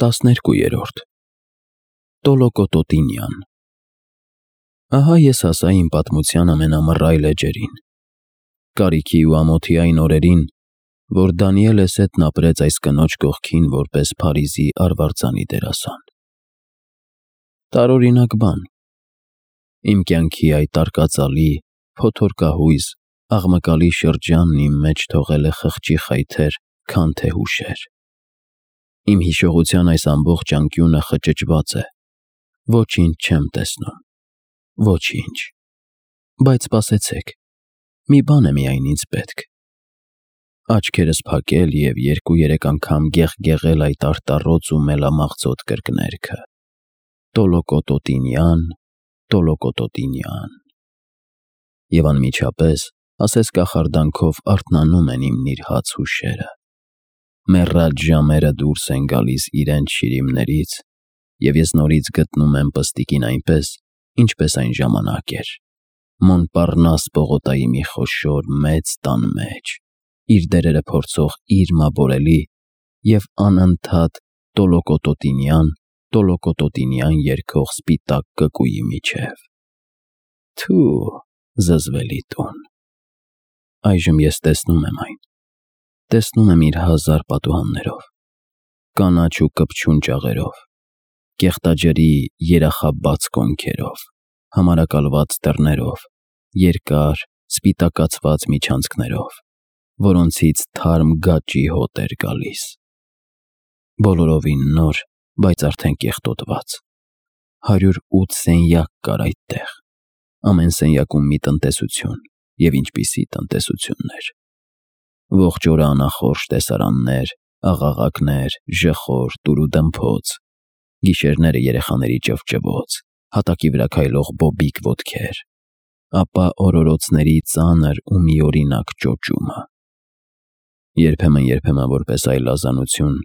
12 Տոլոկոտոտինյան Ահա ես հասա իմ պատմության ամենամռայլ էջերին, կարիքի ու ամոթի այն օրերին, որ Դանիելս հետն ապրեց այս կնոջ կողքին որպես Փարիզի արվարձանի դերասան։ Տարօրինակ բան, իմ կյանքի այդ արկածալի, փոթորկահույս, աղմկալի շրջանն իմ մեջ թողել է խղճի խայթեր, քան թե հուշեր։ Իմ հիշողության այս ամբողջ անկյունը խճճված է, ոչինչ չեմ տեսնում, ոչինչ, բայց սպասեցեք, մի բան է միայն ինձ պետք։ Աչքերս փակել և 2-3 անգամ գեղգեղել այդ արտառոց ու մելամաղձոտ կրկներգը. Տոլոկոտոտինյան, Տոլոկոտոտինյան։ Եվ անմիջապես ասես կախարդանքով արթնանում են իմ նիրհած հուշերը։ Մեռած ժամերը դուրս են գալիս իրենց շիրիմներից, և ես նորից գտնում եմ պստիկին այնպես, ինչպես այն ժամանակ էր, Մոնպառնաս պողոտայի մի խոշոր մեծ տան մեջ, իր դերերը փորձող իրմաբորելի և անընդհատ Տոլոկոտոտինյան, Տոլոկոտոտինյան երգող սպիտակ կկուի միջև։ Թու, զզվելի տուն։ Այժմ ես տեսնում եմ այն, տեսնում եմ իր հազար պատուհաններով, կանաչ ու կպչուն ճաղերով, կեղտաջրի երախաբաց կոնքերով, համարակալված դռներով, երկար, սպիտակացված միջանցքներով, որոնցից թարմ գաճի հոտ էր գալիս։ Բոլորովին նոր, բայց արդեն կեղտոտված։ 108 սենյակ կար այդտեղ, ամեն սենյակում մի տնտեսություն, և ինչպիսի տնտեսություններ։ Ողջ օրը անախորժ տեսարաններ, աղաղակներ, ժխոր, տուրուդմփոց, գիշերները երեխաների ճվճվոց, հատակի վրա քայլող բոբիկ ոտքեր, ապա օրորոցների ծանր ու միօրինակ ճոճումը։ Երբեմն որպես այլազանություն,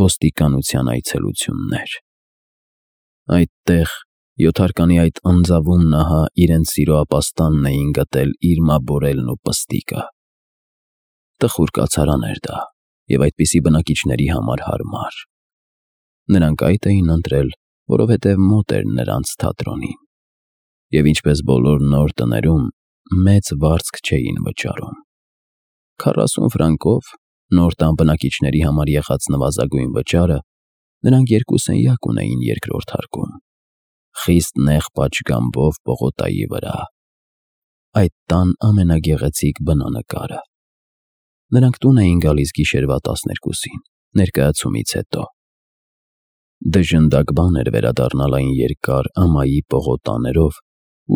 ոստիկանության այցելություններ։ Այդտեղ, յոթարկանի այդ անձավում նահա իրենց սիրո ապաստանն էին գտել իրմաբորելն ու պստիկը։ Տխուր կացարան էր դա, և այդպիսի բնակիչների համար հարմար։ Նրանք այդ էին ընտրել, որովհետև մոտ էր նրանց թատրոնին, և ինչպես բոլոր նոր տներում, մեծ վարձք չէին վճարում։ 40 ֆրանկով, նոր տան բնակիչների համար եղած նվազագույն վճարը, նրանք 2 սենյակ ունեին երկրորդ հարկում, խիստ նեղ պատշգամբով պողոտայի վրա, այդ տան ամենագեղեցիկ բնանկարը։ Նրանք տուն էին գալիս գիշերվա 12-ին, ներկայացումից հետո։ Դժնդակ բան էր վերադառնալ այն երկար ամայի պողոտաներով,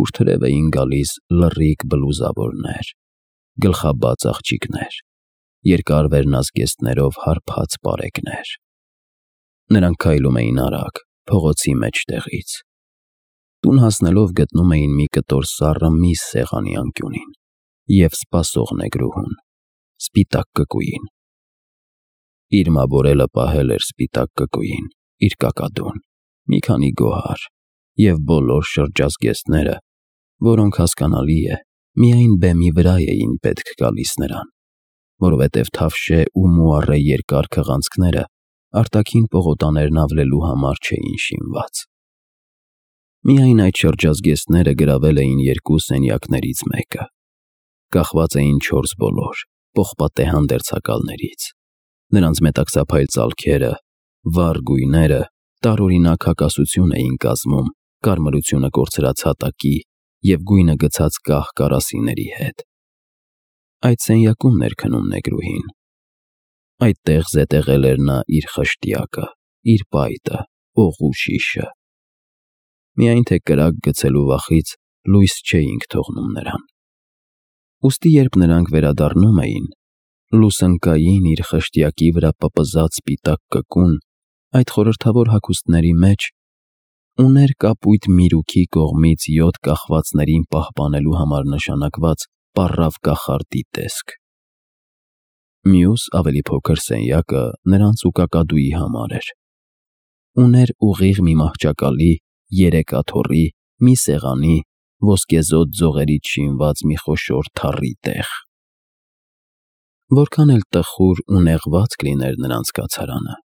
ուր թրև էին գալիս լռիկ բլուզավորներ, գլխաբաց աղջիկներ, երկար վերնազգեստներով հարբած պարեկներ։ Նրանք քայլում էին արագ, փողոցի մեջտեղից։ Տուն հասնելով գտնում էին մի կտոր սառը միս սեղանի անկյունին և սպասող նեգրուհուն, սպիտակ կկուին։ Իրմաբորելը պահել էր սպիտակ կկուին իր կակադուն, մի քանի գոհար և բոլոր շրջազգեստները, որոնք, հասկանալի է, միայն բեմի վրա էին պետք գալիս նրան, որովհետև թավշե ու մուառե երկար քղանցքները արտաքին պողոտաներն ավլելու համար չէին շինված։ Միայն այդ շրջազգեստները գրավել էին 2 սենյակներից մեկը, կախված էին 4 բոլոր, պողպատե հանդերձակալներից, նրանց մետաքսափայլ ծալքերը, վառ գույները տարօրինակ հակասություն էին կազմում կարմրությունը կորցրած հատակի և գույնը գցած կահ կարասիների հետ։ Այդ սենյակումն էր քնում նեգրուհին։ Այդտեղ զետեղել էր նա իր խշտյակը, իր պայտը, օղու շիշը։ Միայն թե կրակ գցելու վախից լույս չէինք թողնում նրան։ Ուստի երբ նրանք վերադառնում էին, լուսընկային իր խշտյակի վրա պպզած սպիտակ կկուն այդ խորհրդավոր հագուստների մեջ ուներ կապույտ միրուքի կողմից 7 կախվածներին պահպանելու համար նշանակված պառավ կախարդի տեսք։ Մյուս ավելի փոքր սենյակը նրանց ու կակադուի համար էր։ Ուներ ուղիղ մի մահճակալի, 3 աթոռի, մի սեղանի, ոսկեզօծ ձողերից շինված մի խոշոր թառի տեղ։ Որքան էլ տխուր ու նեղված կլիներ նրանց կացարանը,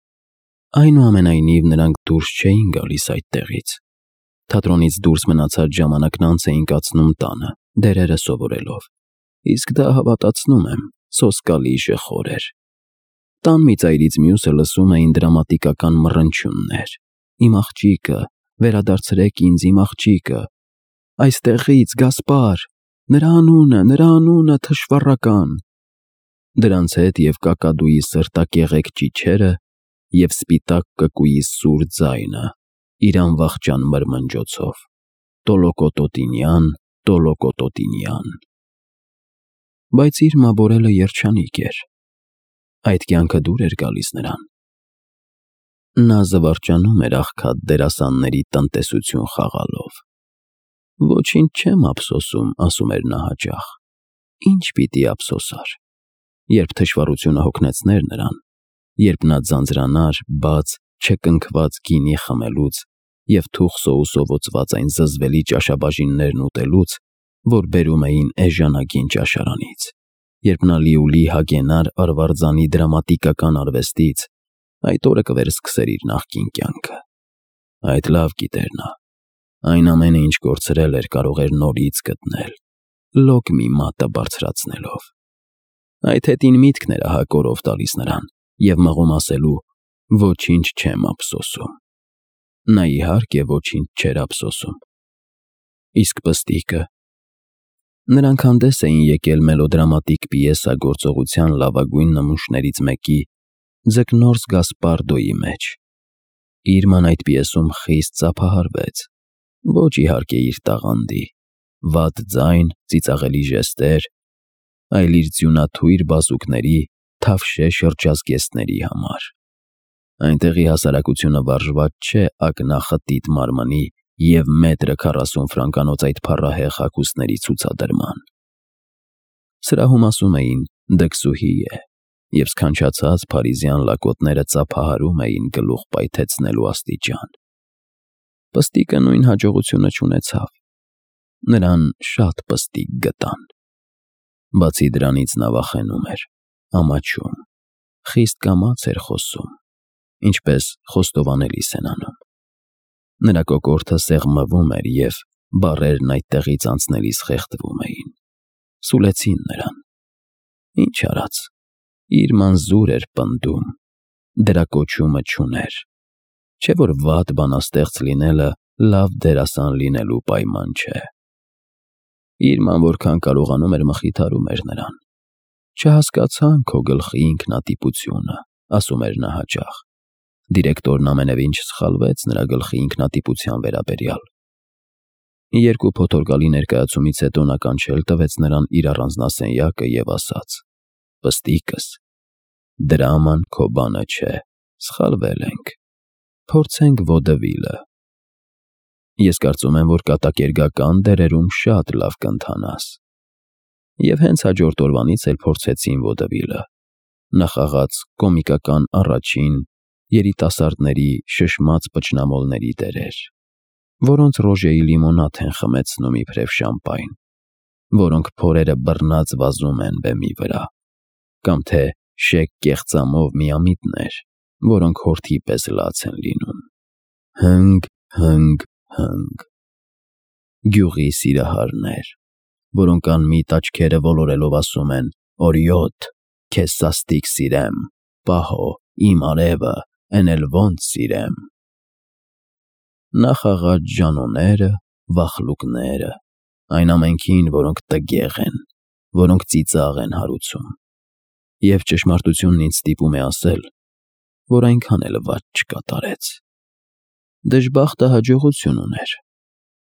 Այնուամենայնիվ նրանք դուրս չէին գալիս այդտեղից։ Թատրոնից դուրս մնացած ժամանակն անց էին կացնում տանը, դերերը սովորելով։ Իսկ դա, հավատացնում եմ, սոսկալի ժխոր էր։ Տան մի ծայրից մյուսը լսում էին դրամատիկական մռնչյուններ. «Իմ աղջիկը, վերադարձրեք ինձ իմ աղջիկը, այստեղից, Գասպար, նրա անունը թշվառական»։ Դրանց հետ և կակադուի սրտակեղեկ ճիչերը և սպիտակ կկուի սուր ձայնը իր անվախճան մրմնջոցով. «Տոլոկոտոտինյան, տոլոկոտոտինյան»։ Բայց իր մաբորելը երջանիկ էր։ Այդ կյանքը դուր էր գալիս նրան։ Նա զվարճանում էր աղքատ դերասանների տնտեսություն խաղալով։ «Ոչինչ չեմ ափսոսում», ասում էր նա հաճախ։ Ինչ պիտի ափսոսար, երբ թշվառությունը հոգնեցներ նրան, երբ նա ձանձրանար բաց, չկնքված գինի խմելուց և թուխ սոուսով այն զզվելի ճաշաբաժիններն ուտելուց, որ բերում էին էժանագին ճաշարանից, երբ նա լիուլի հագենար արվարձանի դրամատիկական արվեստից, այդ օրը կվերսկսեր իր նախկին կյանքը։ Այդ լավ գիտեր նա։ Այն ամենը, ինչ կորցրել էր, կարող էր նորից գտնել, լոկ մի մատը բարձրացնելով։ Այդ հետին միտքն էր ահա կորով տալիս նրան և մղում ասելու. «Ոչինչ չեմ ափսոսում»։ Նա իհարկե ոչինչ չէր ափսոսում։ Իսկ Պստիկը։ Նրանք հանդես էին եկել մելոդրամատիկ պիեսագործողության լավագույն նմուշներից մեկի՝ Ձկնորս Գասպարդոյի մեջ։ Իրման այդ պիեսում խիստ ծափահարվեց։ Ոչ իհարկե իր տաղանդի, վատ ձայն, ծիծաղելի ժեստեր, այլ իր ձյունաթույր բազուկների, թավշե շրջազգեստների համար։ Այնտեղի հասարակությունը վարժված չէ ակնախտիտ մարմնի և մետրը 40 ֆրանկանոց այդ փառահեղ հագուստների ցուցադրման։ Սրահում ասում էին «դքսուհի է», և սքանչացած փարիզյան լակոտները ծափահարում էին գլուխ պայթեցնելու աստիճան։ Պստիկը նույն հաջողությունը չունեցավ։ Նրան շատ պստիկ գտան։ Բացի դրանից նա վախենում էր, ամաչում, խիստ կամաց էր խոսում, ինչպես խոստովանելիս են անում։ Նրա կոկորդը սեղմվում էր և բառերն այդտեղից անցնելիս խեղդվում էին։ Սուլեցին նրան։ Ինչ արած, Իրման զուր էր պնդում, դրա կոչումը չուներ։ Չէ՞ որ վատ բանաստեղծ լինելը լավ դերասան լինելու պայման չէ։ Իրման որքան կարողանում էր մխիթարում էր նրան։ «Չհասկացան քո գլխի ինքնատիպությունը», ասում էր նա հաճախ։ Դիրեկտորն ամենևին չսխալվեց նրա գլխի ինքնատիպության վերաբերյալ։ Երկու փոթորկալի ներկայացումից հետո նա կանչել տվեց նրան իր առանձնասենյակը և ասաց. «Պստիկս, դրաման քո բանը չէ, սխալվել ենք, փորձենք վոդևիլը։ Ես կարծում եմ, որ կատակերգական դերերում շատ լավ կընթանաս»։ Եվ հենց հաջորդ օրվանից էլ փորձեցին վոդևիլը։ Նա խաղաց կոմիկական առաջին, երիտասարդների շշմած պճնամոլների դերեր, որոնց ռոժեի լիմոնադ են խմեցնում իբրև շամպայն, որոնք փորերը բռնած վազում են բեմի վրա, կամ թե շեկ կեղծամով միամիտներ, որոնք հորթի պես լաց են լինում։ Հնգ, հնգ, հնգ։ Գյուղի սիրահարներ, որոնք անմիտ աչքերը ոլորելով ասում են. «Օրիոտ, քեզ սաստիկ սիրեմ, պահո, իմ արևը, էն էլ ոնց սիրեմ»։ Նա խաղաց Ժանոները, վախլուկները, այն ամենքին, որոնք տգեղ են, որոնք ծիծաղ են հարուցում։ Եվ ճշմարտությունն ինձ ստիպում է ասել, որ այնքան էլ վատ չկատարեց։ Դժբախտը հաջողություն ուներ,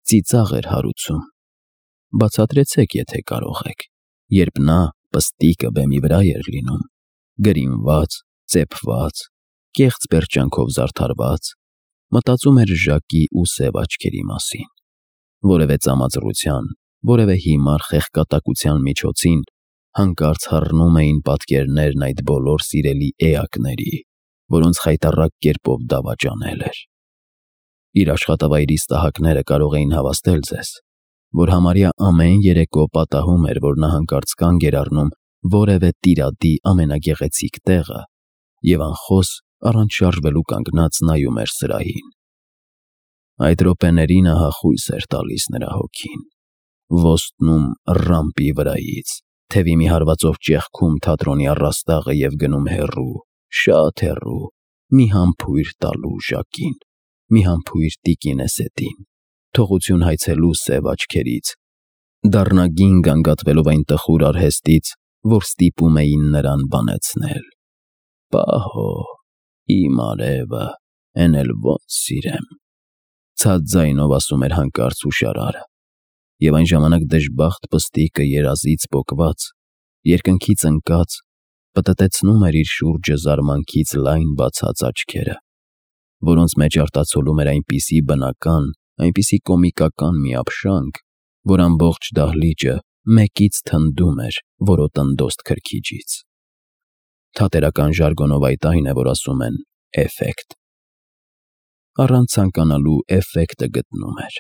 ծիծաղ էր հարուցում։ Բացատրեցեք, եթե կարող եք, երբ նա, Պստիկը, բեմի վրա էր լինում, գրինված, ծեփված, կեղծ պերճանքով զարդարված, մտածում էր Ժակի ու սև աչքերի մասին։ Որևէ ծամածռության, որևէ հիմար խեղկատակության միջոցին հանկարծ հառնում էին պատկերներն այդ բոլոր սիրելի էակների, որոնց խայտառակ կերպով դավաճանել էր։ Իր աշխատավայրի ստահակները կարող էին հավաստել ձեզ, որ համարյա ամեն երեկո պատահում էր, որ նա հանկարծ կանգ էր առնում որևէ տիրադի ամենագեղեցիկ տեղը և անխոս առանց շարժվելու կանգնած նայում էր սրահին։ Այդ րոպեներին ահա խույս էր տալիս նրա հոգին, ոստնում ռամպի վրայից, թևի մի հարվածով ճեղքում թատրոնի առաստաղը և գնում հեռու, շատ հեռու, մի համբույր տալու Ժակին, մի համբույր տիկին Էսետին, թողություն հայցելու սև աչքերից, դառնագին գանգատվելով այն տխուր արհեստից, որ ստիպում էին նրան բանեցնել։ «Պահո, իմ արևը, էն էլ ոնց սիրեմ», ցած ձայնով ասում էր հանկարծ հուշարարը, և այն ժամանակ դժբախտ պստիկը երազից պոկված, երկնքից ընկած, պտտեցնում էր իր շուրջը զարմանքից լայն բացած աչքերը, որոնց մեջ արտացոլում էր այնպիսի բնական, այնպիսի կոմիկական մի ապշանք, որ ամբողջ դահլիճը մեկից թնդում էր որոտնդոստ քրքիջից։ Թատերական ժարգոնով այդ այն է, որ ասում են «էֆեկտ»։ Առանց ցանկանալու էֆեկտը գտնում էր։